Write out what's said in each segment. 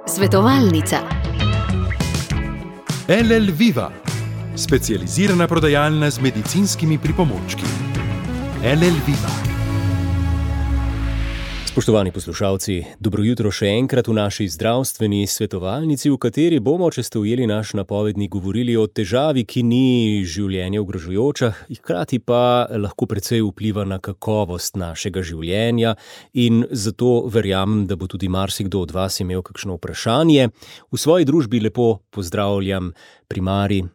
Svetovalnica. LL Viva, specializirana prodajalna z medicinskimi pripomočki. LL Viva. Spoštovani poslušalci, dobro jutro še enkrat v naši zdravstveni svetovalnici, v kateri bomo, če ste ujeli naš napovednik, govorili o težavi, ki ni življenje ogrožajoča, hkrati pa lahko precej vpliva na kakovost našega življenja in zato verjamem, da bo tudi marsikdo od vas imel kakšno vprašanje. V svoji družbi lepo pozdravljam primarij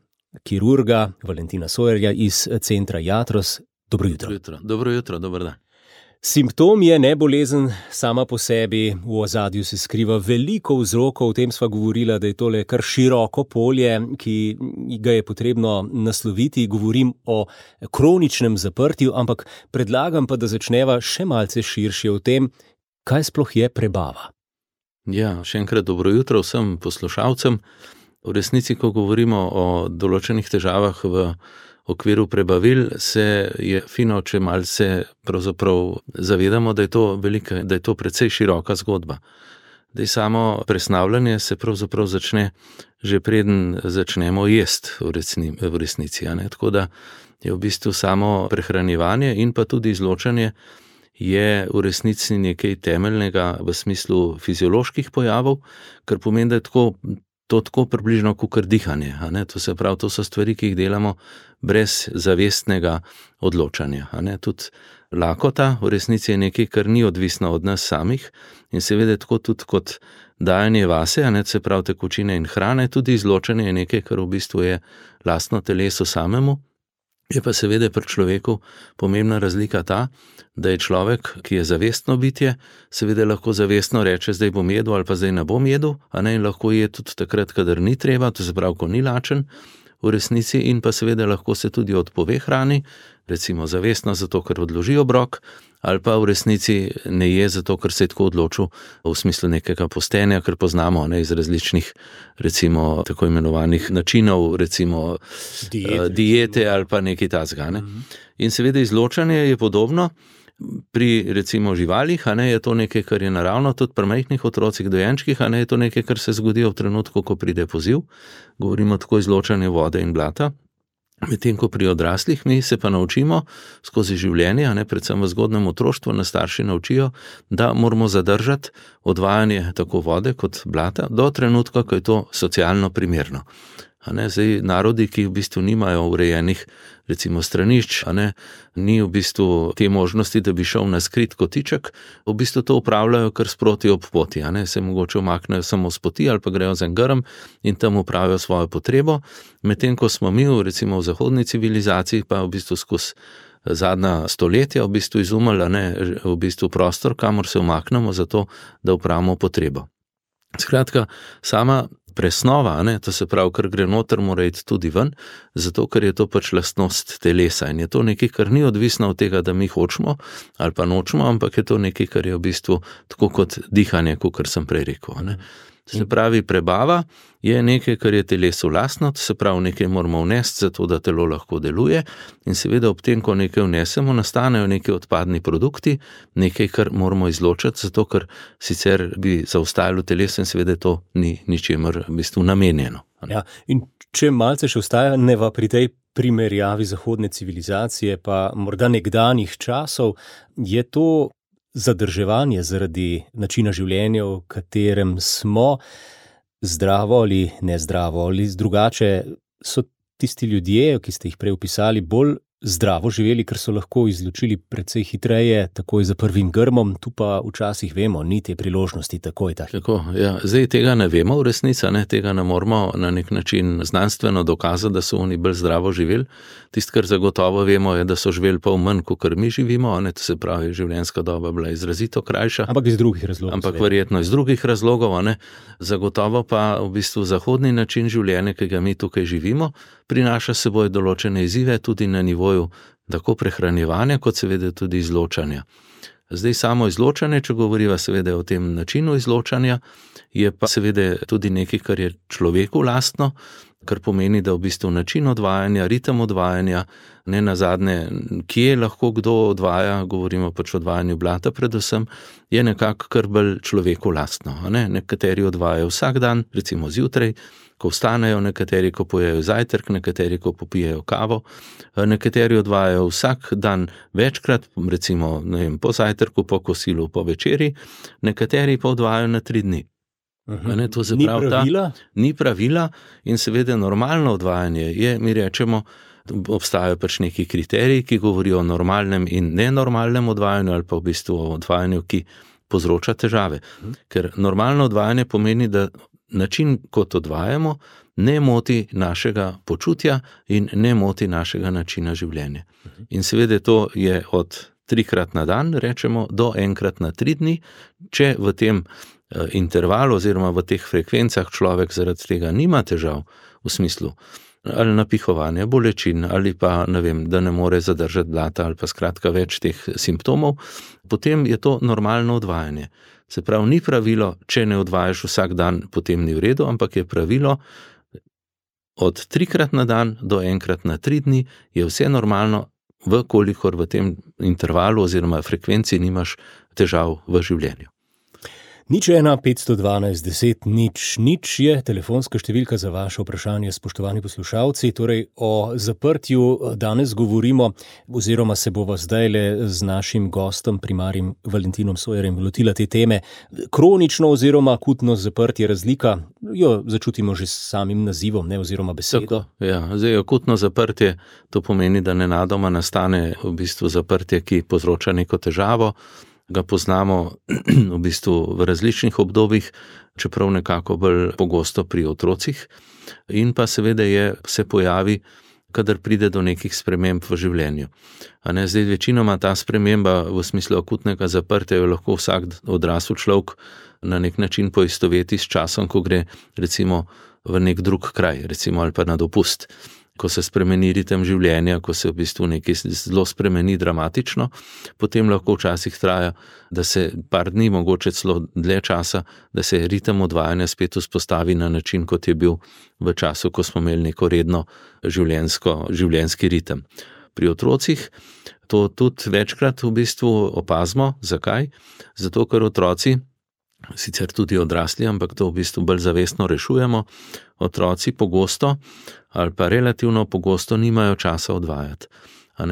kirurga Valentina Sojerja iz centra Iatros. Dobro jutro. Dobro jutro, dober dan. Simptom je ne bolezen sama po sebi, v ozadju se skriva veliko vzrokov, o tem sva govorila, da je tole kar široko polje, ki ga je potrebno nasloviti. Govorim o kroničnem zaprtju, ampak predlagam pa, da začneva še malce širše o tem, kaj sploh je prebava. Ja, še enkrat dobro jutro vsem poslušalcem. V resnici, ko govorimo o določenih težavah v okviru prebavil, se je fino, če malce pravzaprav zavedamo, da je to precej široka zgodba. Da je samo presnavljanje se pravzaprav začne že preden začnemo jesti v resnici. Tako da je v bistvu samo prehranjevanje in pa tudi izločanje je v resnici nekaj temeljnega v smislu fizioloških pojavov, kar pomeni, da je to tako približno kakor dihanje. To se pravi, to so stvari, ki jih delamo brez zavestnega odločanja. Tudi lakota v resnici je nekaj, kar ni odvisno od nas samih in seveda tako tudi kot dajanje vase, se pravi tekočine in hrane, tudi izločanje je nekaj, kar v bistvu je lastno telesu samemu. Je pa seveda pri človeku pomembna razlika ta, da je človek, ki je zavestno bitje, seveda lahko zavestno reče, zdaj bom jedel ali pa zdaj ne bom jedel, in lahko je tudi takrat, kadar ni treba, to se pravi, ko ni lačen v resnici, in pa seveda lahko se tudi odpove hrani, recimo zavestno zato, ker odloži obrok, ali pa v resnici ne je zato, ker se je tako odločil v smislu nekega postenja, ker poznamo iz različnih, recimo tako imenovanih načinov, recimo diete ali pa nekaj takega. In seveda izločanje je podobno. Pri recimo živalih, je to nekaj, kar je naravno, tudi pri majhnih otrocih, dojenčkih, je to nekaj, kar se zgodi v trenutku, ko pride poziv. Govorimo tako izločanje vode in blata. Medtem ko pri odraslih mi se pa naučimo skozi življenje, predvsem v zgodnjem otroštvu nas starši naučijo, da moramo zadržati odvajanje tako vode kot blata do trenutka, ko je to socialno primerno. Zdaj, narodi, ki v bistvu nimajo urejenih recimo stranišč, ni v bistvu te možnosti, da bi šel na skrit kotiček, v bistvu to upravljajo kar sproti ob poti, se mogoče umaknejo samo s poti ali pa grejo za en grm in tam upravijo svojo potrebo, medtem ko smo mi recimo v zahodni civilizaciji pa v bistvu skozi zadnja stoletja v bistvu izumili v bistvu prostor, kamor se umaknemo zato, da upravimo potrebo. Skratka, sama presnova, to se pravi, kar gre noter, mora iti tudi ven, zato ker je to pač lastnost telesa in je to nekaj, kar ni odvisno od tega, da mi hočemo ali pa nočemo, ampak je to nekaj, kar je v bistvu tako kot dihanje, kot sem prej rekel. Se pravi, prebava je nekaj, kar je telesu lastno, to se pravi, nekaj moramo vnesti, zato da telo lahko deluje in seveda ob tem, ko nekaj vnesemo, nastanejo neki odpadni produkti, nekaj, kar moramo izločiti, zato ker sicer bi zaustavilo telesu in seveda to ni ničemer v bistvu namenjeno. Ja, in če malce še ostajaneva pri tej primerjavi zahodne civilizacije pa morda nekdanjih časov, je to zadrževanje zaradi načina življenja, v katerem smo, zdravo ali nezdravo, ali drugače, so tisti ljudje, ki ste jih prej opisali, bolj zdravo živeli, ker so lahko izločili precej hitreje, takoj za prvim grmom, tu pa včasih vemo, ni te priložnosti takoj. Tako, ja. Zdaj tega ne vemo v resnici, tega ne moramo na nek način znanstveno dokazati, da so oni bolj zdravo živeli. Tisto, kar zagotovo vemo, je, da so živeli pol manj, kot mi živimo, to se pravi, življenjska doba bila izrazito krajša. Ampak iz drugih razlogov. Ampak verjetno iz drugih razlogov, Zagotovo pa v bistvu zahodni način življenja, ki ga mi tukaj živimo, prinaša seboj določene izzive tudi na nivoju tako prehranjevanja, kot seveda tudi izločanja. Zdaj samo izločanje, če govoriva seveda o tem načinu izločanja, je pa seveda tudi nekaj, kar je človeku lastno, kar pomeni, da v bistvu način odvajanja, ritem odvajanja, ne nazadnje, kje lahko kdo odvaja, govorimo pač o odvajanju blata predvsem, je nekako kar bolj človeku lastno. Nekateri odvajajo vsak dan, recimo zjutraj, ko vstanejo, nekateri, ko pojejo zajtrk, nekateri, ko popijejo kavo, nekateri odvajajo vsak dan večkrat, recimo po zajtrku, po kosilu, po večeri, nekateri pa odvajajo na 3 dni. To se pravi, ni pravila in seveda normalno odvajanje je, mi rečemo, obstajajo pač neki kriteriji, ki govorijo o normalnem in nenormalnem odvajanju ali pa v bistvu o odvajanju, ki povzroča težave. Ker normalno odvajanje pomeni, da način, kot odvajamo, ne moti našega počutja in ne moti našega načina življenja. In seveda to je od 3-krat na dan, rečemo, do 1-krat na 3 dni, če v tem intervalu oziroma v teh frekvencah človek zaradi tega nima težav v smislu ali napihovanja, bolečin ali pa, da ne more zadržati blata ali pa skratka več teh simptomov, potem je to normalno odvajanje. Se pravi, ni pravilo, če ne odvajaš vsak dan, potem ni v redu, ampak je pravilo od 3-krat na dan do 1-krat na 3 dni je vse normalno, vkolikor v tem intervalu oziroma frekvenci nimaš težav v življenju. 01512 je telefonska številka za vaše vprašanje, spoštovani poslušalci. Torej o zaprtju danes govorimo oziroma se bova zdajle z našim gostom, primarjem Valentinom Sojerjem, lotila te teme. Kronično oziroma akutno zaprtje, razlika jo začutimo že s samim nazivom, oziroma besedo. Zdaj akutno zaprtje, to pomeni, da nenadoma nastane v bistvu zaprtje, ki povzroča neko težavo. Ga poznamo v bistvu v različnih obdobjih, čeprav nekako bolj pogosto pri otrocih, in pa seveda se pojavi, kadar pride do nekih sprememb v življenju. Zdaj večinoma ta sprememba v smislu akutnega zaprtja jo lahko vsak odrasel človek na nek način poistoveti s časom, ko gre recimo v nek drug kraj, recimo ali pa na dopust. Ko se spremeni ritem življenja, ko se v bistvu nekaj zelo spremeni dramatično, potem lahko včasih traja, da se par dni, mogoče celo dlje časa, da se ritem odvajanja spet vzpostavi na način, kot je bil v času, ko smo imeli neko redno življenjski ritem. Pri otrocih to tudi večkrat v bistvu opazimo. Zakaj? Zato, ker otroci, sicer tudi odrasli, ampak to v bistvu bolj zavestno rešujemo, otroci pogosto ali pa relativno pogosto nimajo časa odvajati.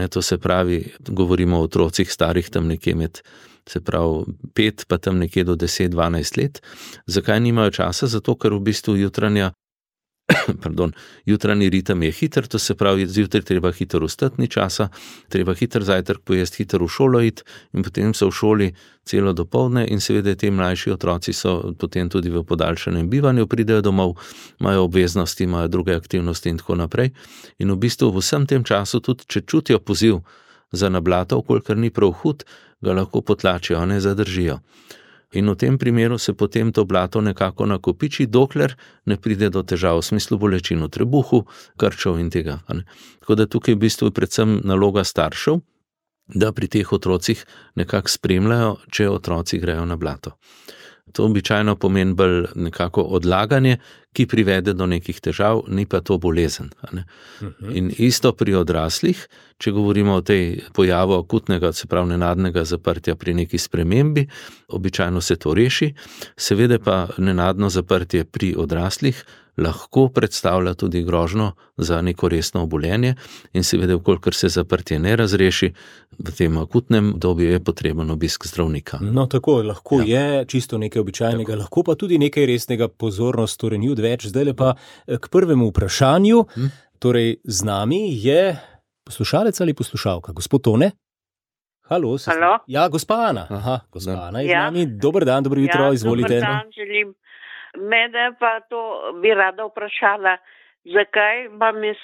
To se pravi, govorimo o otrocih starih tam nekje med, se pravi 5 pa tam nekje do 10-12 let. Zakaj nimajo časa? Zato, ker v bistvu jutranji ritem je hiter, to se pravi, zjutraj treba hitro vstati, ni časa, treba hiter zajtrk pojesti, hiter v šolo iti in potem so v šoli celo dopoldne in seveda ti mlajši otroci so potem tudi v podaljšanem bivanju, pridejo domov, imajo obveznosti, imajo druge aktivnosti in tako naprej. In v bistvu v vsem tem času tudi, če čutijo poziv za nablato, kolikor ni prav hud, ga lahko potlačijo, ne zadržijo. In v tem primeru se potem to blato nekako nakopiči, dokler ne pride do težav v smislu bolečin v trebuhu, krčev in tega. Tako da tukaj v bistvu je predvsem naloga staršev, da pri teh otrocih nekako spremljajo, če otroci grejo na blato. To običajno pomeni bolj nekako odlaganje, ki privede do nekih težav, ni pa to bolezen. In isto pri odraslih, če govorimo o tej pojavu akutnega, se pravi nenadnega zaprtja pri neki spremembi, običajno se to reši, seveda pa nenadno zaprtje pri odraslih lahko predstavlja tudi grožnjo za neko resno obolenje in seveda, vkolikor se zaprtje ne razreši, v tem akutnem obdobju je potreben obisk zdravnika. Tako, lahko je čisto nekaj običajnega, lahko pa tudi nekaj resnega, pozornost, torej ni odveč. Zdaj pa k prvemu vprašanju. Torej, z nami je poslušalec ali poslušalka, gospod Tone? Halo? Ja, gospa Ana. Gospa Ana je z nami. Dober dan, dobro jutro, izvolite. Dober dan, želim. Mene pa to bi rada vprašala, zakaj imam jaz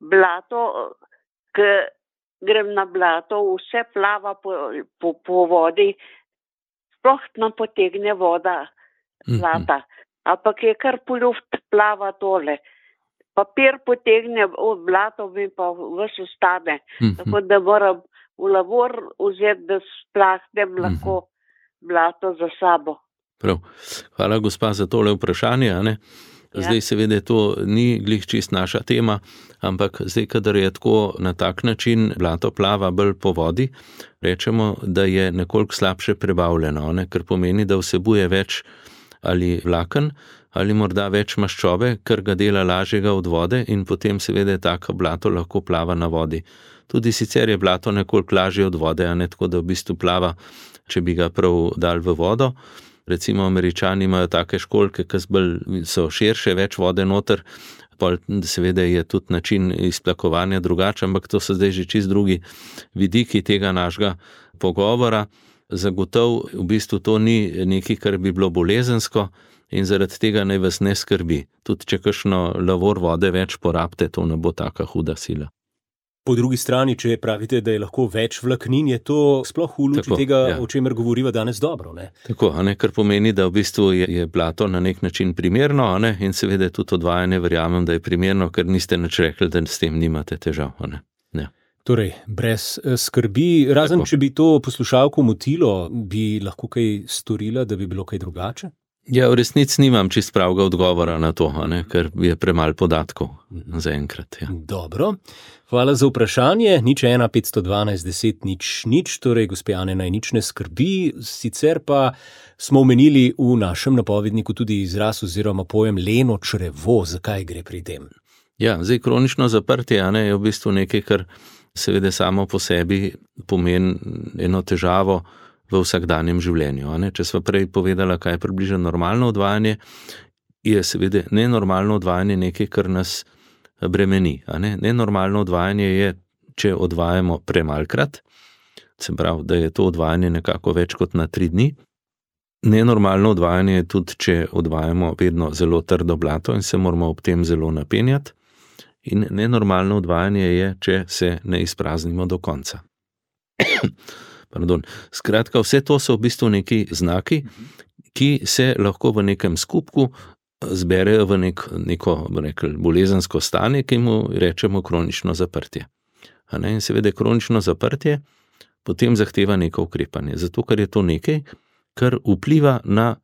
blato, ko grem na blato, vse plava po vodi, sploh nam potegne voda blata, ampak je kar po luft plava tole. Papir potegne, blato mi pa vse ostane, tako da moram v lavor vzeti, da splahnem lahko blato za sabo. Prav. Hvala, gospa, za tole vprašanje. Zdaj seveda to ni glih čist naša tema, ampak zdaj, kadar je tako na tak način blato plava bolj po vodi, rečemo, da je nekoliko slabše prebavljeno, ne? Ker pomeni, da vsebuje več ali vlaken, ali morda več maščobe, kar ga dela lažjega od vode in potem seveda tako blato lahko plava na vodi. Tudi sicer je blato nekoliko lažje od vode, a ne tako, da v bistvu plava, če bi ga prav dal v vodo. Recimo Američani imajo take školjke, ki so širše, več vode noter, pol seveda je tudi način izplakovanja drugačen, ampak to so zdaj že čist drugi vidiki tega našega pogovora. Zagotovo v bistvu to ni nekaj, kar bi bilo bolezensko in zaradi tega naj vas ne skrbi. Tudi če kakšno lavor vode več porabite, to ne bo taka huda sila. Po drugi strani, če pravite, da je lahko več vlaknin, je to sploh v luči tega, o čemer govoriva danes dobro, ne? Tako, kar pomeni, da v bistvu je blato na nek način primerno, in seveda tudi odvajanje verjamem, da je primerno, ker niste nič rekli, da s tem nimate težav, ne. Torej, brez skrbi, razen tako. Če bi to poslušalko motilo, bi lahko kaj storila, da bi bilo kaj drugače? Ja, v resnici nimam čist pravega odgovora na to, ker je premalo podatkov zaenkrat. Ja. Dobro, hvala za vprašanje. 01 512 10 00, torej gospe Ane naj nič ne skrbi, sicer pa smo omenili v našem napovedniku tudi izraz oziroma pojem leno črevo, zakaj gre pri tem? Ja, zdaj kronično zaprtje je v bistvu nekaj, kar seveda samo po sebi pomeni eno težavo v vsakdanjem življenju. Če sva prej povedala, kaj je približno normalno odvajanje, je seveda nenormalno odvajanje nekaj, kar nas bremeni. Nenormalno odvajanje je, če odvajamo premalkrat, se pravi, da je to odvajanje nekako več kot na 3 dni. Nenormalno odvajanje je tudi, če odvajamo vedno zelo trdo blato in se moramo ob tem zelo napenjati. In nenormalno odvajanje je, če se ne izpraznimo do konca. Skratka, vse to so v bistvu neki znaki, ki se lahko v nekem skupku zberejo v neko bolezensko stanje, ki mu rečemo kronično zaprtje. In seveda kronično zaprtje potem zahteva neko ukrepanje, zato ker je to nekaj, kar vpliva na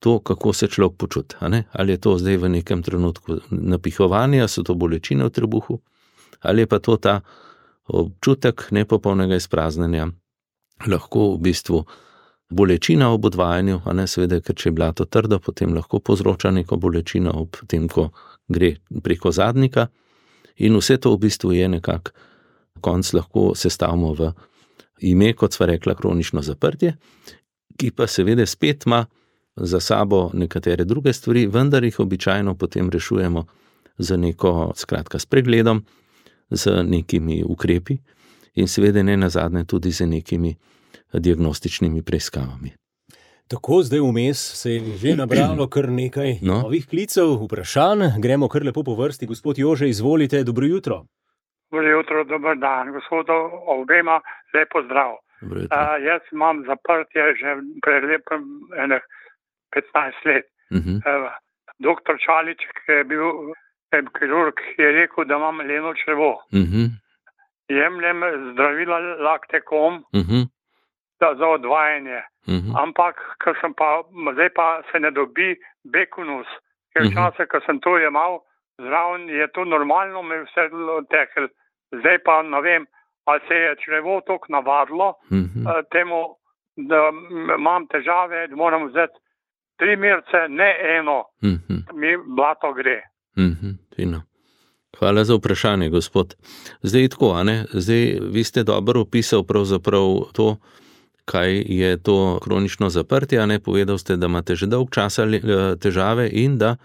to, kako se človek počuti. Ali je to zdaj v nekem trenutku napihovanja, so to bolečine v trebuhu, ali je pa to ta občutek nepopolnega izpraznjenja, lahko v bistvu bolečina ob odvajanju, seveda, ker če je blato trdo, potem lahko povzroča neko bolečino ob tem, ko gre preko zadnika in vse to v bistvu je nekako konc lahko sestavimo v ime, kot sva rekla, kronično zaprtje, ki pa seveda spet ima za sabo nekatere druge stvari, vendar jih običajno potem rešujemo z neko, skratka, s pregledom, z nekimi ukrepi in seveda ne nazadnje tudi z nekimi diagnostičnimi preiskavami. Tako, zdaj vmes se je že nabralo kar nekaj novih klicev, vprašanj. Gremo kar lepo po vrsti. Gospod Jože, izvolite, dobro jutro. Dobro jutro, dober dan. Gospodu obema, lepo zdrav. Jaz imam zaprtje že pred lepem 15 let. Doktor Čalič, ki je bil kirurg, je rekel, da imam leno črevo. Jemljem zdravila Lactecom za odvajanje. Ampak, zdaj pa se ne dobi Bekonus, ker včasih, ko sem to jemal, zraven je to normalno, me vse tekel. Zdaj pa ne vem, ali se je črevo toliko navadilo temu, da imam težave, da moram vzeti 3 merce, ne eno, mi blato gre. Fino. Hvala za vprašanje, gospod. Zdaj tako, zdaj vi ste dobro opisal pravzaprav to, kaj je to kronično zaprtje, povedal ste, da imate že dolg časa težave in da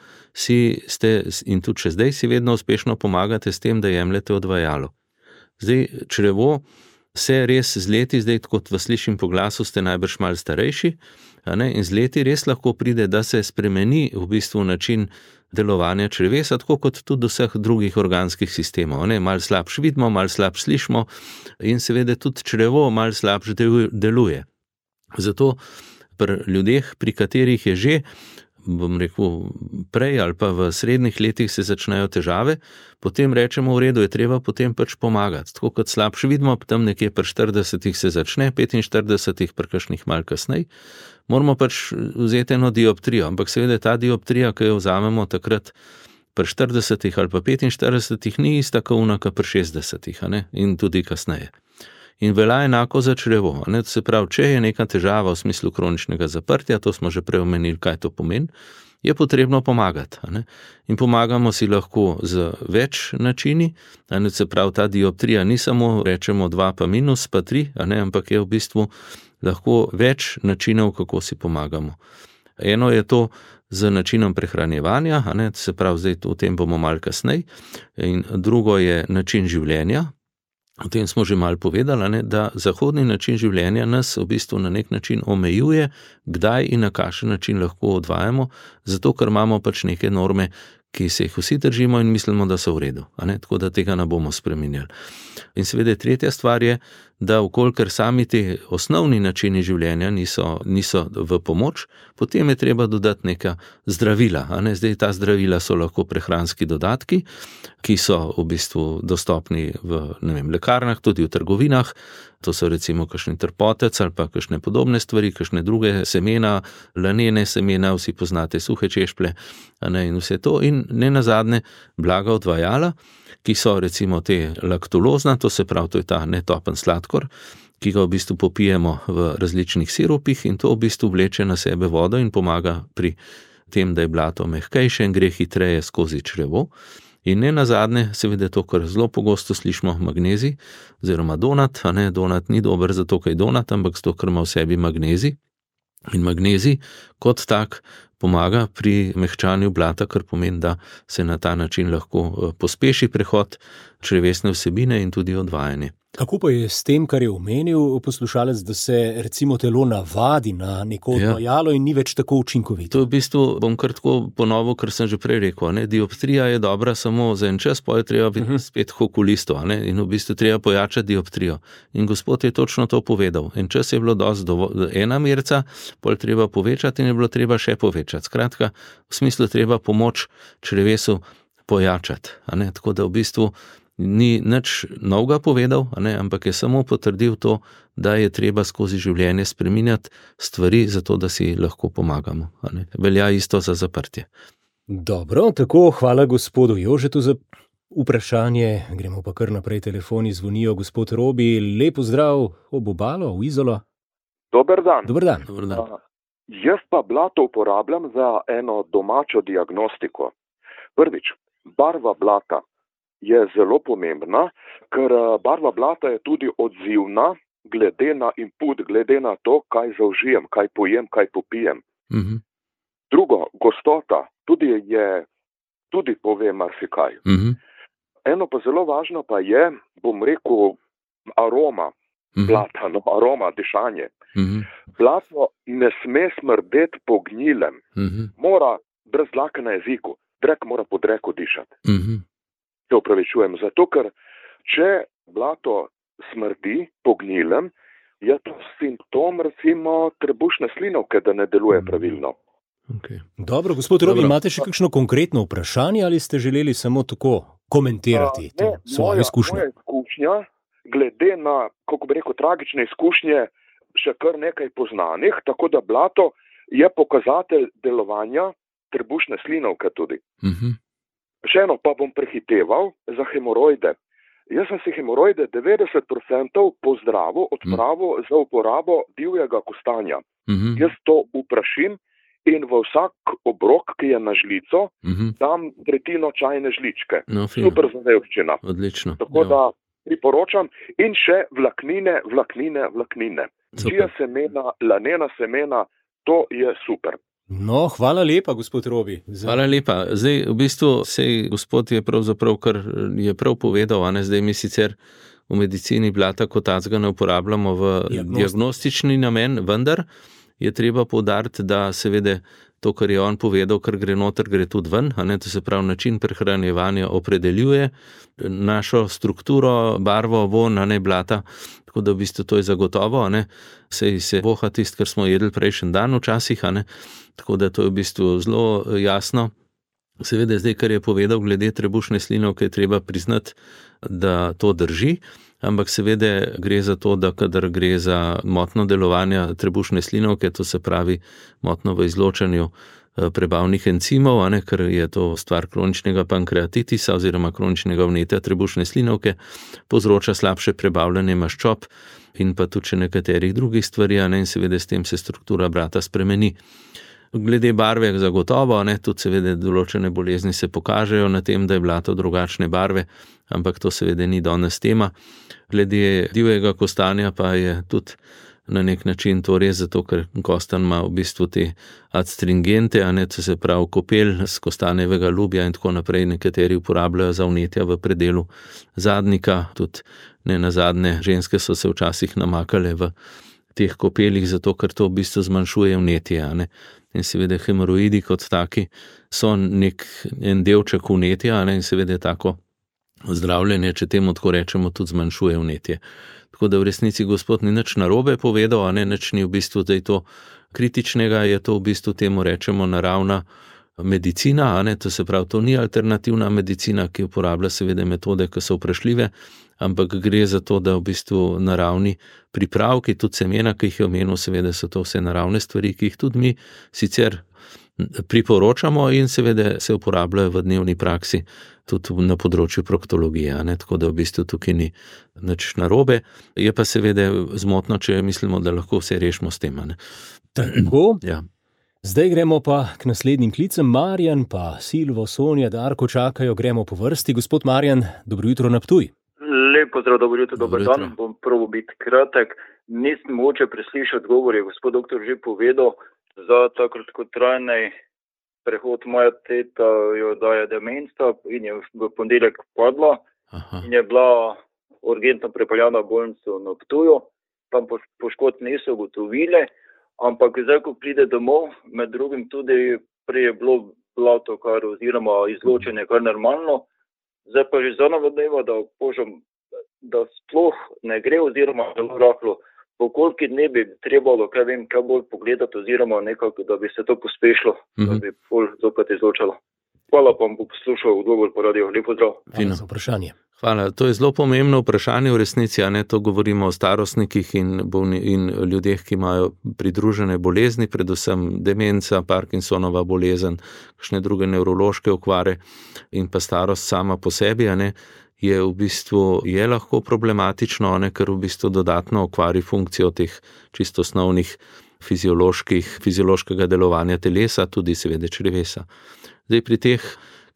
in tudi še zdaj si vedno uspešno pomagate s tem, da jemljete odvajalo. Zdaj, črevo se res z leti, zdaj kot vas slišim po glasu, ste najbrž malo starejši, in z leti res lahko pride, da se spremeni v bistvu način delovanja črevesa, tako kot tudi vseh drugih organskih sistemov. Malo slabš vidimo, malo slabš slišimo in seveda tudi črevo malo slabš deluje. Zato pri ljudeh, pri katerih je že, bom rekel, prej ali pa v srednjih letih se začnejo težave, potem rečemo, v redu, je treba potem pač pomagati. Tako kot slabš vidimo, tam nekje pri 40 se začne, 45 pri kakšnih malo kasnej, moramo pač vzeti eno dioptrijo, ampak seveda ta dioptrija, ki jo vzamemo takrat pri 40 ali pa 45, ni ista kot ona pri 60, in tudi kasneje. In velja enako za črevo, to se pravi, če je neka težava v smislu kroničnega zaprtja, to smo že prej omenili, kaj to pomeni, je potrebno pomagati. In pomagamo si lahko z več načini, se pravi, ta dioptrija ni samo, rečemo 2 pa minus pa 3, ampak je v bistvu lahko več načinov, kako si pomagamo. Eno je to z načinom prehranjevanja, se pravi, zdaj o tem bomo malo kasneje, in drugo je način življenja. O tem smo že malo povedali, da zahodni način življenja nas v bistvu na nek način omejuje, kdaj in na kakšen način lahko odvajamo, zato ker imamo pač neke norme, ki se jih vsi držimo in mislimo, da so v redu, tako da tega ne bomo spreminjali. In seveda tretja stvar je, da vkolikor sami te osnovni načini življenja niso v pomoč, potem je treba dodati neka zdravila. Zdaj ta zdravila so lahko prehranski dodatki, ki so v bistvu dostopni v lekarnah, tudi v trgovinah. To so recimo kakšni trpotec ali pa kakšne podobne stvari, kakšne druge semena, lanene semena, vsi poznate suhe češplje, in vse to. In ne nazadnje blaga odvajala, ki so recimo te laktulozna, to se pravi, to je ta netopen sladkor, ki ga v bistvu popijemo v različnih sirupih in to v bistvu vleče na sebe vodo in pomaga pri tem, da je blato mehkejše in gre hitreje skozi črevo. In ne nazadnje, seveda to, kar zelo pogosto slišimo, magnezij oziroma donat, donat ni dober zato, ker je donat, ampak zato, ker ima v sebi magnezij. In magnezij kot tak pomaga pri mehčanju blata, kar pomeni, da se na ta način lahko pospeši prehod črevesne vsebine in tudi odvajanje. Kako pa je s tem, kar je omenil poslušalec, da se recimo telo navadi na neko odvajalo in ni več tako učinkovito? To v bistvu bom kar tako ponovil, kar sem že prej rekel. Dioptrija je dobra samo za en čas, pa je treba biti spet k okulistu, in v bistvu treba pojačati dioptrijo. In gospod je točno to povedal. En čas je bilo dosti ena merca, pol treba povečati in je bilo treba še povečati. Skratka, v smislu treba pomoč črevesu pojačati. Tako da v bistvu ni nič novega povedal, ampak je samo potrdil to, da je treba skozi življenje spreminjati stvari, zato da si lahko pomagamo. Velja isto za zaprtje. Dobro, tako, hvala gospodu Jožetu za vprašanje. Gremo pa kar naprej, telefoni zvonijo. Gospod Robi, lep pozdrav ob obalo, v Izolo. Dober dan. Dober dan. Jaz pa blato uporabljam za eno domačo diagnostiko. Prvič, barva blata je zelo pomembna, ker barva blata je tudi odzivna glede na input, glede na to, kaj zaužijem, kaj pojem, kaj popijem. Drugo, gostota tudi pove marsikaj. Eno pa zelo važno pa je, bom rekel, aroma blata, aroma, dišanje. Blato ne sme smrdeti po gnilem. Mora brez dlake na jeziku, drek mora po dreku dišati. Se upravičujem, zato ker če blato smrdi po gnilem, je to simptom recimo trebušne slinavke, da ne deluje pravilno. Okay. Dobro, gospod Robi, imate še kakšno konkretno vprašanje ali ste želeli samo tako komentirati svojo izkušnjo? Moja izkušnja, glede na, kako bi rekel, tragične izkušnje, še kar nekaj poznanih, tako da blato je pokazatelj delovanja trebušne slinavke tudi. Še eno pa bom prehiteval za hemoroide. Jaz sem si hemoroide 90% pozdravil, odpravil za uporabo divjega kostanja. Jaz to uprašim in v vsak obrok, ki je na žlico, dam tretjino čajne žličke. Super zadevščina. Odlično. Tako da priporočam in še vlaknine. Čija semena, lanena semena, to je super. No, hvala lepa, gospod Robi. Hvala lepa. Zdaj, v bistvu, gospod je pravzaprav, kar je prav povedal, zdaj mi sicer v medicini blata kot tacga ne uporabljamo v diagnostični namen, vendar je treba poudariti, da seveda to, kar je on povedal, kar gre noter, gre tudi ven, to se pravi način prehranjevanja opredeljuje našo strukturo, barvo, von, blata, tako da v bistvu to je zagotovo, se voha tisto, kar smo jedli prejšnji dan včasih, tako da to je v bistvu zelo jasno. Seveda zdaj, kar je povedal glede trebušne slinavke, je treba priznati, da to drži, ampak seveda gre za to, da kadar gre za motno delovanje trebušne slinavke, to se pravi motno v izločanju prebavnih encimov, ker je to stvar kroničnega pankreatitisa oziroma kroničnega vnetja trebušne slinavke, povzroča slabše prebavljanje maščob in pa tudi nekaterih drugih stvari, in seveda s tem se struktura brata spremeni. Glede barve zagotovo, tudi seveda določene bolezni se pokažejo na tem, da je blato drugačne barve, ampak to seveda ni danes tema. Glede divjega kostanja pa je tudi na nek način to res, zato ker kostan ima v bistvu te adstringente, to se pravi kopel z kostanjevega lubja in tako naprej, nekateri uporabljajo za vnetja v predelu zadnika, tudi ne nazadnje ženske so se včasih namakale v teh kopelih, zato ker to v bistvu zmanjšuje vnetje, In seveda hemoroidi kot taki so en delček vnetja, in seveda tako zdravljenje, če temu tako rečemo, tudi zmanjšuje vnetje. Tako da v resnici gospod ni nič narobe povedal, nič ni v bistvu to kritičnega, je to v bistvu temu rečemo naravna medicina, to se pravi, to ni alternativna medicina, ki uporablja seveda metode, ki so vprašljive, ampak gre za to, da v bistvu naravni pripravki, tudi semena, ki jih je omenil, seveda so to vse naravne stvari, ki jih tudi mi sicer priporočamo in seveda se uporabljajo v dnevni praksi tudi na področju proktologije, tako da v bistvu tukaj ni nič narobe, je pa seveda zmotno, če mislimo, da lahko vse rešimo s tem. Tako? Ja. Zdaj gremo pa k naslednjim klicem. Marjan pa Silvo, Sonja, Darko čakajo, gremo po vrsti. Gospod Marjan, dobro jutro na Ptuj. Lep pozdrav, dobro jutro, dober dan. Bom prvo biti kratek. Nisem moče preslišati odgovor, je gospod doktor že povedal, za ta kratkotrajni prehod moja teta jo daje demenca in je v ponedeljek padla. Aha. In je bila urgentno prepeljana v bolnico na Ptuju, tam poškodb niso ugotovili, ampak zdaj, ko pride domov, med drugim tudi prej je bilo blato, oziroma izločenje kar normalno, zdaj pa že za navodneva, da opožam, da sploh ne gre oziroma zelo rahlo. Po koliko dne bi trebalo, kaj bolj pogledati oziroma nekako, da bi se to pospešilo, da bi bolj zopet izločalo. Hvala, pa bom poslušal odgovor po radiju. Lep pozdrav. Hvala za vprašanje. Hvala. To je zelo pomembno vprašanje v resnici, to govorimo o starostnikih in ljudeh, ki imajo pridružene bolezni, predvsem demenca, Parkinsonova bolezen, kakšne druge nevrološke okvare in pa starost sama po sebi, je v bistvu lahko problematično, ker v bistvu dodatno okvari funkcijo teh čisto osnovnih fiziološkega delovanja telesa, tudi seveda črevesa. Zdaj pri teh,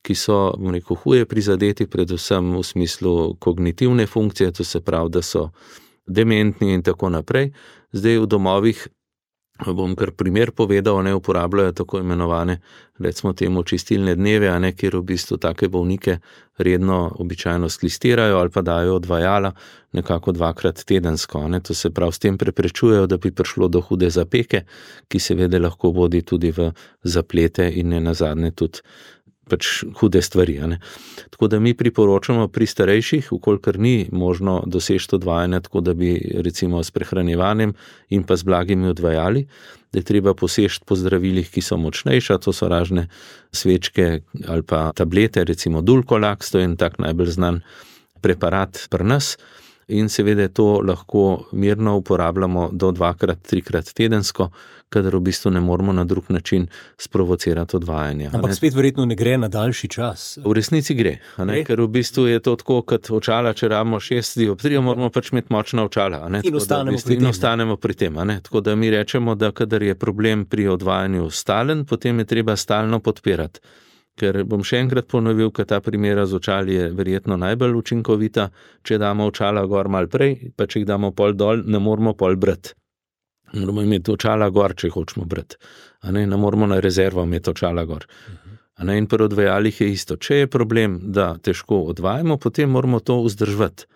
ki so, huje prizadeti, predvsem v smislu kognitivne funkcije, to se pravi, da so dementni in tako naprej, zdaj v domovih, bom kar primer povedal, uporabljajo tako imenovane, recimo temu, čistilne dneve, kjer v bistvu take bolnike redno običajno sklistirajo ali pa dajo odvajala nekako 2-krat tedensko. To se pravi, s tem preprečujejo, da bi prišlo do hude zapeke, ki seveda lahko vodi tudi v zaplete in ne nazadnje tudi hude stvari. Tako da mi priporočamo pri starejših, vkolikor ni možno doseči odvajanja, tako da bi recimo s prehranjevanjem in pa z blagimi odvajali, da je treba poseči po zdravilih, ki so močnejša, to so razne svečke ali pa tablete, recimo Dulcolax, to je en tak najbolj znan preparat pri nas. In seveda to lahko mirno uporabljamo do 2-3 tedensko, kadar v bistvu ne moramo na drug način sprovocirati odvajanja. Ampak spet verjetno ne gre na daljši čas. V resnici gre, ker v bistvu je to tako, kot očala, če rabimo 6 dioptrijev, moramo imeti močna očala. In ostanemo pri tem. Tako da mi rečemo, da kadar je problem pri odvajanju stalen, potem je treba stalno podpirati. Ker bom še enkrat ponovil, ker ta primera z očali je verjetno najbolj učinkovita, če damo očala gor mal prej, pa če jih damo pol dol, ne moramo pol brati. Moramo imeti očala gor, če hočemo brati. Ne moramo na rezervo imeti očala gor. In pri odvajalih je isto. Če je problem, da težko odvajamo, potem moramo to vzdrževati.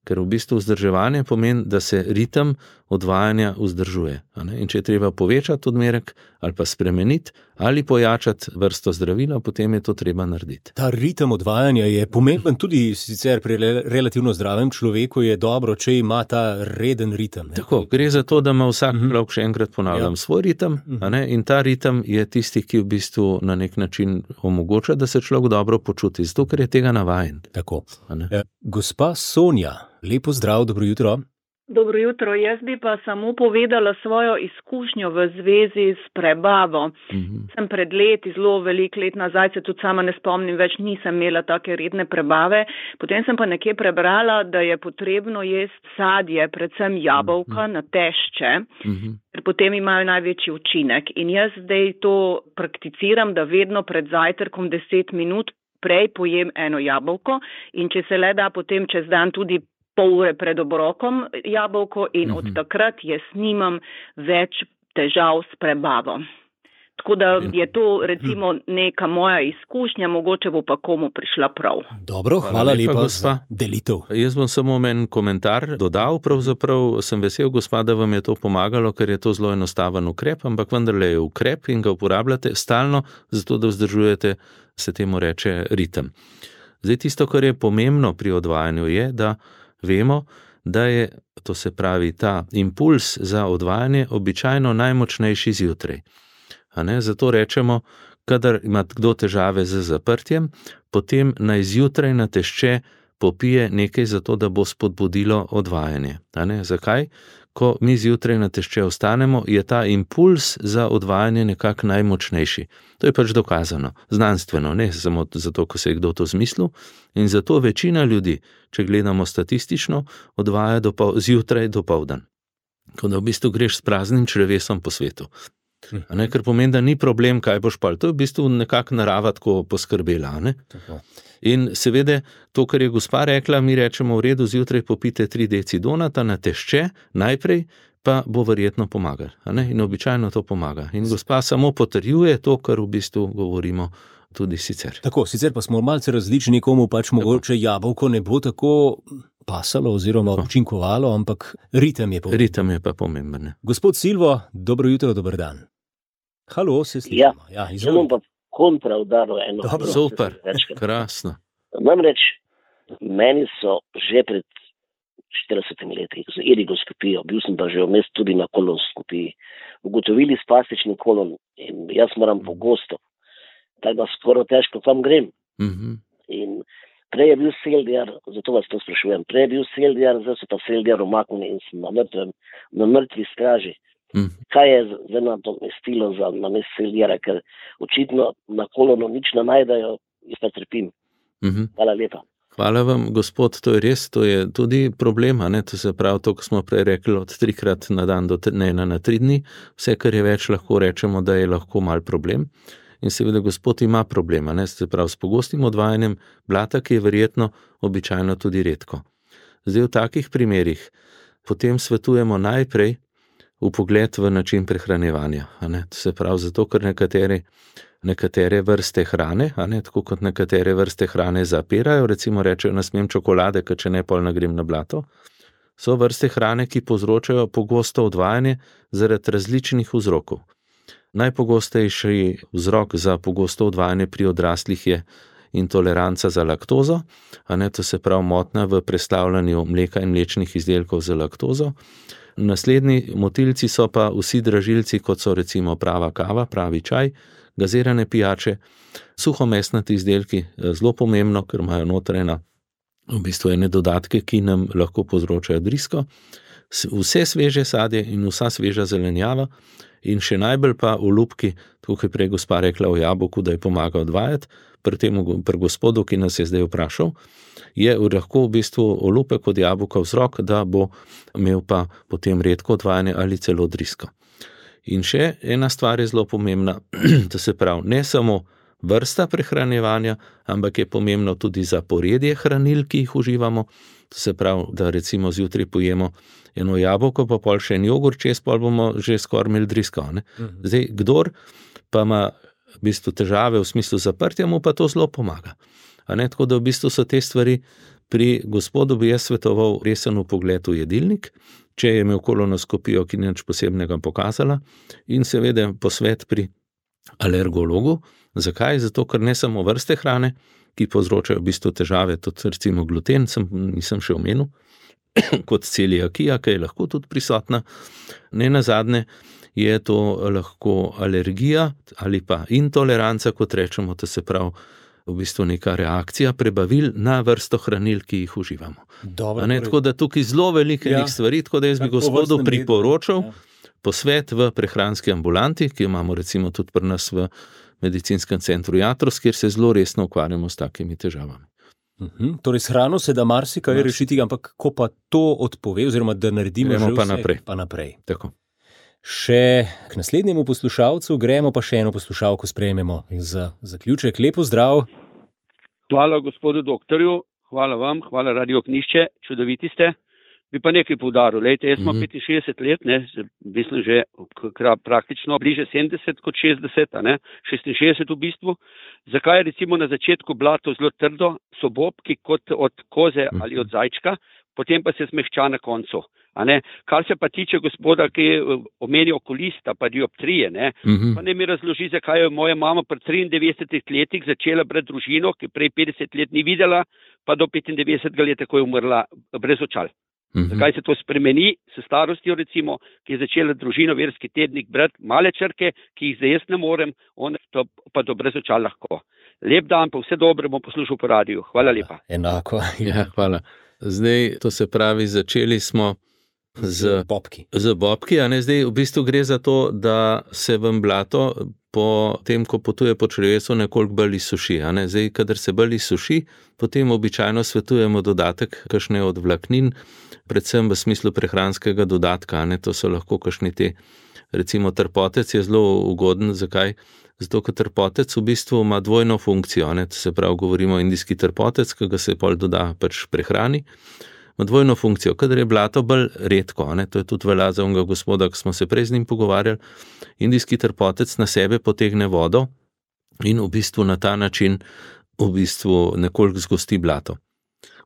Ker v bistvu vzdrževanje pomeni, da se ritem odvajanja vzdržuje. In če je treba povečati odmerek ali pa spremeniti ali pojačati vrsto zdravila, potem je to treba narediti. Ta ritem odvajanja je pomemben tudi sicer pri relativno zdravem človeku, je dobro, če ima ta reden ritem. Tako, gre za to, da ima vsak človek, še enkrat ponavljam, svoj ritem, in ta ritem je tisti, ki v bistvu na nek način omogoča, da se človek dobro počuti, zato ker je tega navajen. Tako. Gospa Sonja, lepo zdrav, dobro jutro. Dobro jutro, jaz bi pa samo povedala svojo izkušnjo v zvezi s prebavo. Sem pred leti, zelo veliko let nazaj, se tudi sama ne spomnim več, nisem imela take redne prebave. Potem sem pa nekje prebrala, da je potrebno jesti sadje, predvsem jabolka na tešče, ker potem imajo največji učinek. In jaz zdaj to prakticiram, da vedno pred zajtrkom 10 minut prej pojem eno jabolko in če se le da potem čez dan tudi pol ure pred obrokom jabolko in od takrat jaz nimam več težav s prebavo. Tako da je to recimo neka moja izkušnja, mogoče bo pa komu prišla prav. Dobro, hvala lepa za delitev. Jaz bom samo en komentar dodal, pravzaprav sem vesel, gospa, da vam je to pomagalo, ker je to zelo enostaven ukrep, ampak vendarle je ukrep in ga uporabljate stalno, zato da vzdržujete, se temu reče, ritem. Zdaj tisto, kar je pomembno pri odvajanju je, da vemo, da je, to se pravi, ta impuls za odvajanje običajno najmočnejši zjutraj. Zato rečemo, kadar ima kdo težave z zaprtjem, potem naj zjutraj na tešče popije nekaj za to, da bo spodbudilo odvajanje. Zakaj? Ko mi zjutraj na tešče ostanemo, je ta impuls za odvajanje nekako najmočnejši. To je pač dokazano, znanstveno, ne samo zato, ko se je kdo to zmislil. In zato večina ljudi, če gledamo statistično, odvaja zjutraj dopoldan. Ko da v bistvu greš s praznim črevesom po svetu. Ker pomeni, da ni problem, kaj boš pal. To je v bistvu nekako narava tako poskrbela. In seveda, to, kar je gospa rekla, mi rečemo v redu, zjutraj popite 3 deci donata na tešče, najprej pa bo verjetno pomagal. In običajno to pomaga. In gospa samo potrjuje to, kar v bistvu govorimo tudi sicer. Tako, sicer pa smo malce različni, komu pač mogoče jabolko ne bo tako pasalo oziroma učinkovalo, ampak ritem je pomemben. Ritem je pa pomemben. Gospod Silvo, dobro jutro, dober dan. Halo, se slišimo. Ja, želim pa kontra udaril eno. Dobro, super, krasno. Namreč, meni so že pred 40 leti z irigoskopijo, bil sem pa že vmes tudi na kolonoskopiji, ugotovili spastični kolon in jaz moram pogosto, tako da skoro težko tam grem. In prej je bil seldjar, zato vas to sprašujem, prej je bil seldjar, zdaj so pa seldjar umaknili in sem na mrtvi straži. Kaj je zdaj na to mestilo za namest seldjara, ker očitno na kolonu nič ne najdejo, jaz pa trpim. Hvala lepa. Hvala vam, gospod, to je res, to je tudi problem, to se pravi to, ko smo prej rekli od 3-krat na dan do 1 na 3 dni, vse, kar je več, lahko rečemo, da je lahko mal problem. In seveda gospod ima problem, se pravi s pogostim odvajanjem blata, ki je verjetno običajno tudi redko. Zdaj v takih primerih potem svetujemo najprej vpogled v način prehranjevanja. To se pravi zato, ker nekatere vrste hrane, tako kot nekatere vrste hrane zapirajo, recimo rečejo, ne smem čokolade, ker če ne pol ne grem na blato, so vrste hrane, ki povzročajo pogosto odvajanje zaradi različnih vzrokov. Najpogostejši vzrok za pogosto odvajanje pri odraslih je intoleranca za laktozo, to se pravi motnja v preslavljanju mleka in mlečnih izdelkov za laktozo. Naslednji motilci so pa vsi dražilci, kot so recimo prava kava, pravi čaj, gazirane pijače, suhomesnati izdelki, zelo pomembno, ker imajo notrena v bistvu ene dodatke, ki nam lahko povzročajo drisko, vse sveže sadje in vsa sveža zelenjava in še najbolj pa olupki, tako kot je prej gospa rekla o jabolku, da je pomaga odvajati, pri gospodu, ki nas je zdaj vprašal, je lahko v bistvu olupek od jabolka vzrok, da bo imel pa potem redko odvajanje ali celo drisko. In še ena stvar je zelo pomembna, to se pravi, ne samo vrsta prehranjevanja, ampak je pomembno tudi zaporedje hranil, ki jih uživamo, to se pravi, da recimo zjutraj pojemo eno jabolko, pa pol še en jogurt, čez pol bomo že skoraj imeli drisko. Zdaj, kdor pa ima v bistvu težave v smislu zaprtja, mu pa to zelo pomaga. Tako da v bistvu so te stvari Pri gospodu bi jaz svetoval resen vpogled v jedilnik, če je imel kolonoskopijo, ki ni nič posebnega pokazala, in seveda posvet pri alergologu. Zakaj? Zato, ker ne samo vrste hrane, ki povzročajo v bistvu težave, tudi recimo gluten, nisem še omenil, kot celiakija, ki je lahko tudi prisotna. Ne nazadnje je to lahko alergija ali pa intoleranca, kot rečemo, to se pravi v bistvu neka reakcija prebavil na vrsto hranil, ki jih uživamo. Tako da tukaj zelo veliko stvari, tako da jaz bi gospodu priporočal posvet v prehranski ambulanti, ki jo imamo recimo tudi pri nas v medicinskem centru Jatros, kjer se zelo resno ukvarjamo s takimi težavami. Torej s hrano se da marsikaj rešiti, ampak ko pa to odpove, oziroma da naredimo že vse, pa naprej. Tako. Še k naslednjemu poslušalcu gremo, pa še eno poslušalko sprejmemo za zaključek. Lepo zdrav. Hvala gospodu doktorju, hvala vam, hvala Radio Ognišče, čudoviti ste. Bi pa nekaj poudaril, lejte, jaz imam 65 let, mislim že praktično bliže 70 kot 60, 66 v bistvu. Zakaj je recimo na začetku blato zelo trdo, so bobki kot od koze ali od zajčka, potem pa se zmehča na koncu. Kar se pa tiče gospoda, ki je omenil okulista, pa dioptrije, pa ne mi razloži, zakaj je moja mama pri 93 letih začela brati družino, ki prej 50 let ni videla, pa do 95 let tako je umrla brez očal. Zakaj se to spremeni s starostjo, recimo, ki je začela družino verski tednik brati male črke, ki jih zdaj jaz ne morem, on to pa do brez očal lahko. Lep dan, pa vse dobro bom poslušal po radiju. Hvala lepa. Enako. Ja, hvala. Zdaj, to se pravi, začeli smo z bobki. Zdaj v bistvu gre za to, da se vam blato po tem, ko potuje po črevesu, nekoliko bolj izsuši. Zdaj, kadar se bolj izsuši, potem običajno svetujemo dodatek kakšne od vlaknin, predvsem v smislu prehranskega dodatka. To so lahko kakšni te, recimo trpotec je zelo ugoden. Zakaj? Zato, ker trpotec v bistvu ima dvojno funkcijo. To se pravi, govorimo o indijski trpotec, ki ga se pol doda prehrani. Ima dvojno funkcijo, kadar je blato bolj redko, to je tudi velja za onega gospoda, ki smo se prej z njim pogovarjali. Indijski trpotec na sebe potegne vodo in v bistvu na ta način v bistvu nekoliko zgosti blato.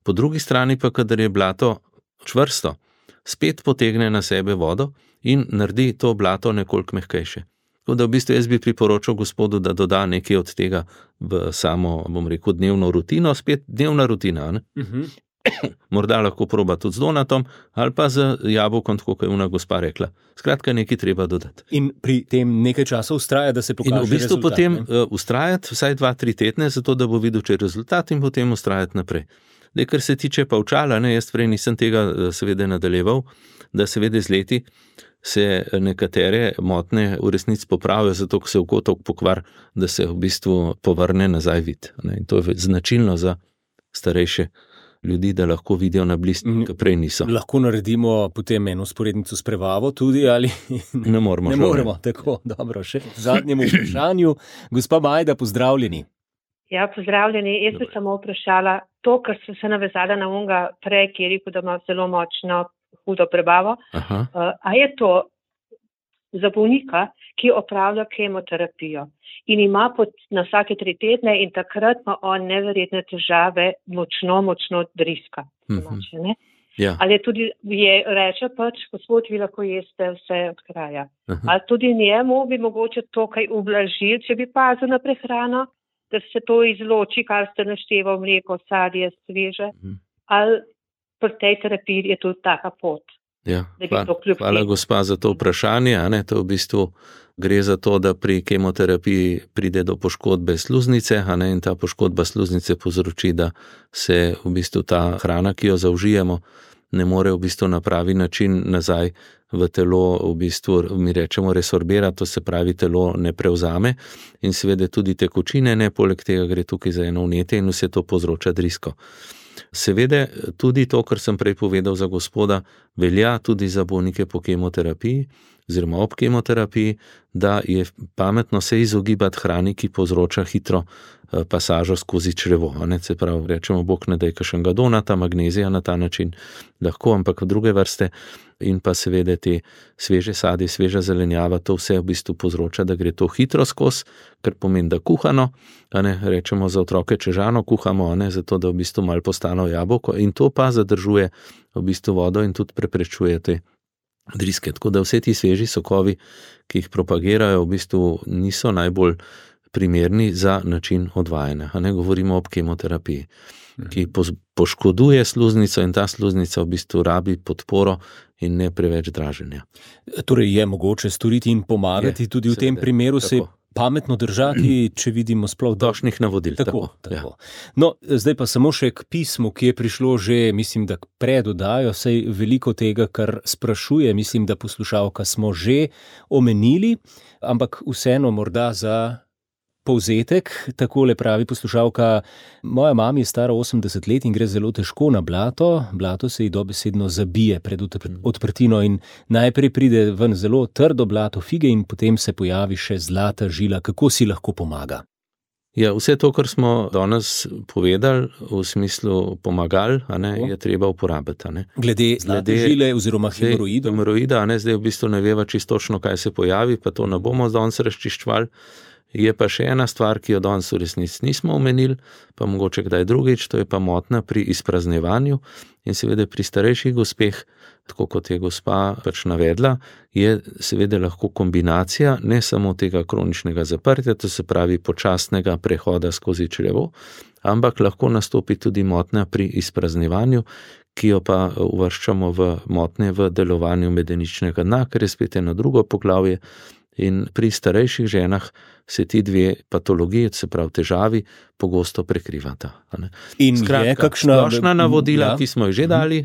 Po drugi strani pa, kadar je blato čvrsto, spet potegne na sebe vodo in naredi to blato nekoliko mehkejše. Tako da v bistvu jaz bi priporočal gospodu, da doda nekaj od tega v samo, bom rekel, dnevno rutino, spet dnevna rutina, Morda lahko proba tudi z donatom ali pa z jabolkom, tako kot je ona gospa rekla. Skratka, nekaj treba dodati. In pri tem nekaj časa vztraja, da se pokaže rezultat. In v bistvu rezultat, potem vztrajati vsaj 2-3 tedne, zato da bo videl, če je rezultat, in potem vztrajati naprej. Kar se tiče pa očala, jaz prej nisem tega seveda nadaljeval, da seveda z leti se nekatere motnje v resnici popravijo, zato ko se oko toliko pokvar, da se v bistvu povrne nazaj vid. In to je značilno za starejše ljudi, da lahko vidijo na blizu, ki prej niso. Lahko naredimo potem eno sporednico s prevavo tudi, ali ne moremo. Ne moremo, tako, dobro, še v zadnjem vprašanju. Gospa Majda, pozdravljeni. Ja, pozdravljeni. Jaz bi samo vprašala to, kar sem se navezala na onega prej, ki je rekel, da ima zelo močno hudo prebavo. A je to za bolnika, ki opravlja kemoterapijo in ima na vsake 3 tedne in takrat ima on neverjetne težave, močno driska. Ja. Ali je tudi, reče gospod, vi lahko jeste vse od kraja. Ali tudi njemu bi mogoče to kaj ublažili, če bi pazil na prehrano, da se to izloči, kar ste našteval, mleko, sadje, sveže. Ali pri tej terapiji je tudi taka pot. Ja, hvala gospa za to vprašanje. To v bistvu gre za to, da pri kemoterapiji pride do poškodbe sluznice, in ta poškodba sluznice povzroči, da se v bistvu ta hrana, ki jo zaužijemo, ne more v bistvu na pravi način nazaj v telo, v bistvu mi rečemo resorbira, to se pravi telo ne prevzame in seveda tudi tekočine ne, poleg tega gre tukaj za eno vnetje in vse to povzroča drisko. Seveda tudi to, kar sem prej povedal za gospoda, velja tudi za bolnike po kemoterapiji, oziroma ob kemoterapiji, da je pametno se izogibati hrani, ki povzroča hitro pasažo skozi črevo. Se pravi, rečemo, bog ne daj kakšnega donata, magnezija na ta način lahko, ampak v druge vrste in pa seveda te sveže sadje, sveža zelenjava, to vse v bistvu povzroča, da gre to hitro skozi, kar pomeni, da kuhano, rečemo za otroke čežano kuhamo, zato da v bistvu malo postane jabolko in to pa zadržuje v bistvu vodo in tudi preprečuje te driske. Tako da vse ti sveži sokovi, ki jih propagirajo, v bistvu niso najbolj primerni za način odvajanja. Govorimo o kemoterapiji, ki poškoduje sluznico in ta sluznica v bistvu rabi podporo in ne preveč draženja. Torej je mogoče storiti in pomagati tudi v tem primeru se pametno držati, če vidimo sploh došnih navodil. Tako. No, zdaj pa samo še k pismu, ki je prišlo že, mislim, da predodajo, saj veliko tega, kar sprašuje, mislim, da poslušalka smo že omenili, ampak vseeno morda za povzetek, takole pravi poslušalka, moja mama je stara 80 let in gre zelo težko na blato, blato se ji dobesedno zabije pred odprtino in najprej pride ven zelo trdo blato fige in potem se pojavi še zlata žila, kako si lahko pomaga? Ja, vse to, kar smo danes povedali, v smislu pomagal, je treba uporabiti. Glede zlate žile oziroma hemoroidov. Hemoroida, zdaj v bistvu ne veva čistočno, kaj se pojavi, pa to ne bomo danes razčiščevali. Je pa še ena stvar, ki jo danes v resnici nismo omenili, pa mogoče kdaj drugič, to je pa motnja pri izpraznevanju in seveda pri starejših gospeh, tako kot je gospa pač navedla, je seveda lahko kombinacija ne samo tega kroničnega zaprtja, to se pravi počasnega prehoda skozi črevo, ampak lahko nastopi tudi motnja pri izpraznevanju, ki jo pa uvrščamo v motnje v delovanju medeničnega dna, ker je spet eno drugo poglavje. In pri starejših ženah se ti dve patologiji, se pravi težavi, pogosto prekrivata. In skratka, je kakšna splošna navodila, ki smo jih že dali,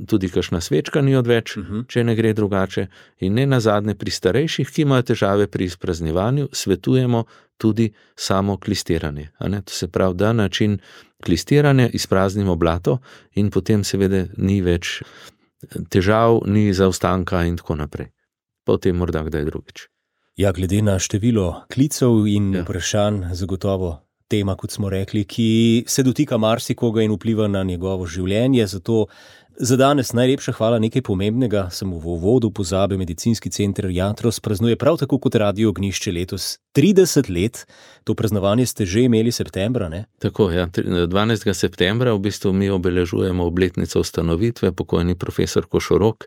tudi kakšna svečka ni odveč, če ne gre drugače. In ne nazadnje pri starejših, ki imajo težave pri izpraznevanju, svetujemo tudi samo klistiranje. To se pravi, da način klistiranja izpraznimo blato in potem seveda ni več težav, ni zaostanka in tako naprej. Potem morda kdaj drugič. Ja, glede na število klicev in vprašanj, zagotovo tema, kot smo rekli, ki se dotika marsikoga in vpliva na njegovo življenje, zato za danes najlepša hvala, nekaj pomembnega, sem v uvodu pozabil, Medicinski center Jatros praznuje prav tako kot Radio Ognjišče letos 30 let, to praznovanje ste že imeli septembra, ne? Tako, 12. septembra v bistvu mi obeležujemo obletnico ustanovitve, pokojni profesor Košorok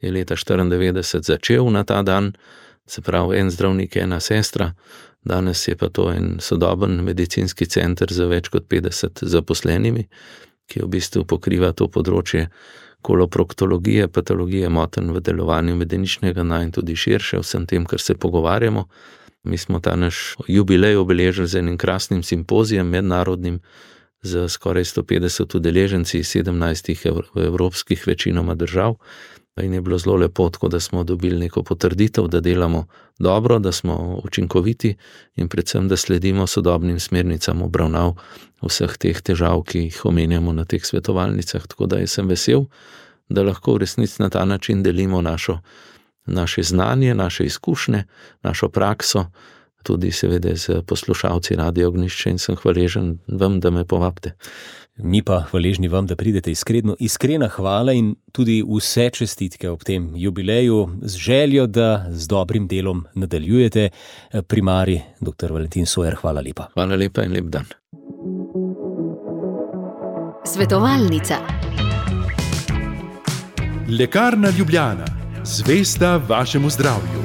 je leta 1994 začel na ta dan, se pravi en zdravnik, ena sestra, danes je pa to en sodoben medicinski center za več kot 50 zaposlenimi, ki v bistvu pokriva to področje koloproktologije, patologije motenj v delovanju medeničnega dna in tudi širše vsem tem, kar se pogovarjamo. Mi smo ta naš jubilej obeležili z enim krasnim simpozijem mednarodnim z skoraj 150 udeleženci iz 17 evropskih večinoma držav. In je bilo zelo lepo, tako da smo dobili neko potrditev, da delamo dobro, da smo učinkoviti in predvsem, da sledimo sodobnim smernicam obravnav vseh teh težav, ki jih omenjamo na teh svetovalnicah. Tako da sem vesel, da lahko v resnici na ta način delimo naše znanje, naše izkušnje, našo prakso, tudi seveda z poslušalci Radio Ognjišče in sem hvaležen vam, da me povabite. Mi pa hvaležni vam, da pridete iskrena hvala in tudi vse čestitke ob tem jubileju z željo, da z dobrim delom nadaljujete. Primarij dr. Valentin Sojer, hvala lepa. Hvala lepa in lep dan. Svetovalnica. Lekarna Ljubljana, zvesta vašemu zdravju.